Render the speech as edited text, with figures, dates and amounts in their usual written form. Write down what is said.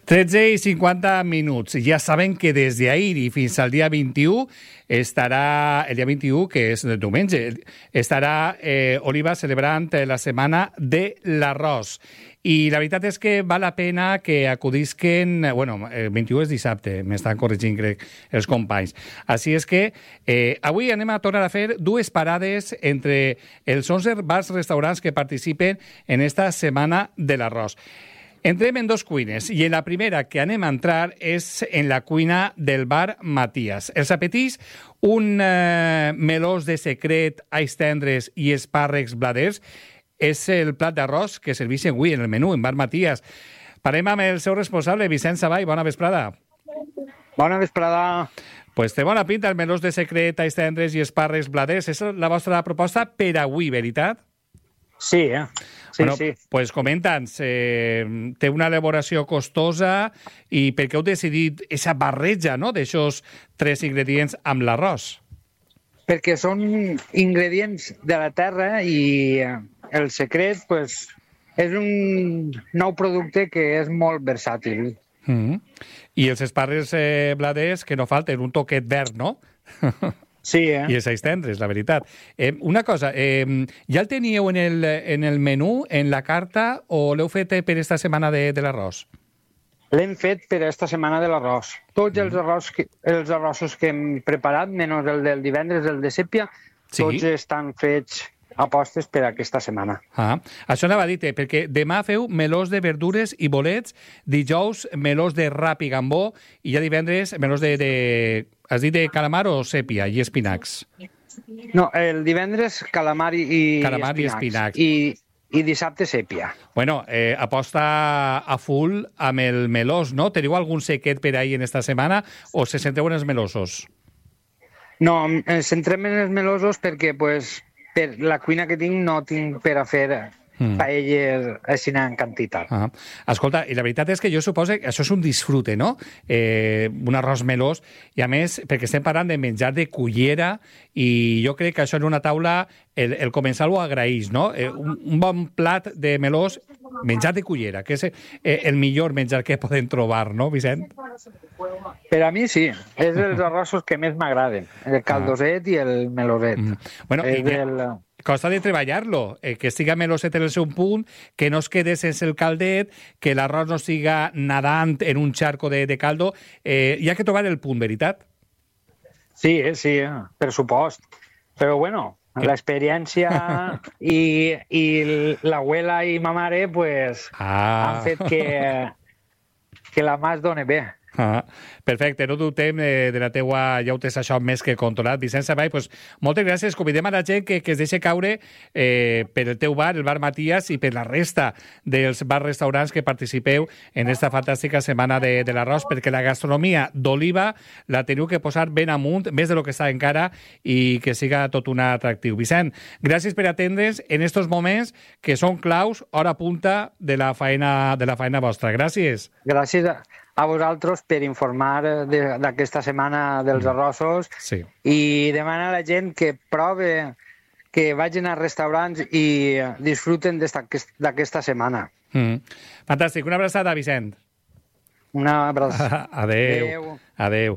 13:50. Ja saben que des d'ahir i fins al dia 21 estarà, el dia 21, que és el diumenge, estarà Oliva celebrant la setmana de l'arròs. I la veritat és que val la pena que acudisquen... Bueno, el 21 és dissabte, m'estan corregint, crec, els companys. Així és que avui anem a tornar a fer dues parades entre els 11 bars restaurants que participen en esta setmana de l'arròs. Entrem en dos cuines i en la primera que anem a entrar és en la cuina del bar Matías. Els apetits, un melós de secret, ais tendres i espàrrecs bladers, és el plat d'arròs que serveixen avui en el menú, en bar Matías. Parem amb el seu responsable, Vicent Savall. Bona vesprada. Bona vesprada. Pues té bona pinta el melós de secret, ais tendres i espàrrecs bladers. És la vostra proposta per avui, veritat? Sí, Sí, bueno, sí. Pues comenta'ns, té una elaboració costosa i per què heu decidit aquesta barreja, no?, d'aixòs tres ingredients amb l'arròs? Perquè són ingredients de la terra i el secret pues, és un nou producte que és molt versàtil. I els espàrrecs bladers, que no falten, un toquet verd, no? Sí, I els ais tendres, la veritat. Una cosa, ja el teníeu en el menú, en la carta, o l'heu fet per esta setmana de l'arròs? L'hem fet per esta setmana de l'arròs. Tots els arrossos que hem preparat, menys el del divendres, el de sèpia, tots estan fets apostes per aquesta setmana. Això anava a dir, perquè demà feu melós de verdures i bolets, dijous melós de rap i gambó, i ja divendres melós de has dit de calamar o sèpia i espinacs? No, el divendres calamar i espinacs. I dissabte sèpia. Bueno, aposta a full amb el melós, no? Teniu algun secret per ahir en esta setmana o se centreu en els melosos? No, ens centrem en els melosos perquè, pues, per la cuina que tinc no tinc per a fer paelles així en quantitat. Escolta, i la veritat és que jo suposo que això és un disfrute, no? Un arròs melós, i a més, perquè estem parlant de menjar de cullera, i jo crec que això en una taula el comensal ho agraeix, no? Un bon plat de melós, menjar de cullera, que és el millor menjar que podem trobar, no, Vicent? Per a mi sí, és dels arrossos que més m'agraden, el caldoset i el meloset. Bueno, costa de treballar-lo, que siga meloset en el seu punt, que no es quede sense el caldet, que l'arròs no siga nadant en un charco de caldo. Hi ha que trobar el punt, veritat? Sí, per supost. Però bueno, l'experiència i l'abuela i ma mare pues, han fet que la mà es doni bé. Perfecte, no dubtem de la teua, ja ho tens això més que controlat. Vicent Savall, pues, moltes gràcies. Convidem a la gent que es deixi caure per el teu bar, el bar Matías, i per la resta dels bars-restaurants que participeu en esta fantàstica setmana de l'arròs, perquè la gastronomia d'Oliva la teniu que posar ben amunt, més de lo que està encara, i que siga tot un atractiu. Vicent, gràcies per atendre's en estos moments que són claus, hora punta de la feina vostra. Gràcies. Gràcies a vosaltres per informar d'aquesta setmana dels arrossos i demanar a la gent que prove, que vagin a restaurants i disfruten d'aquesta setmana. Fantàstic. Una abraçada, Vicent. Una abraçada. Adéu.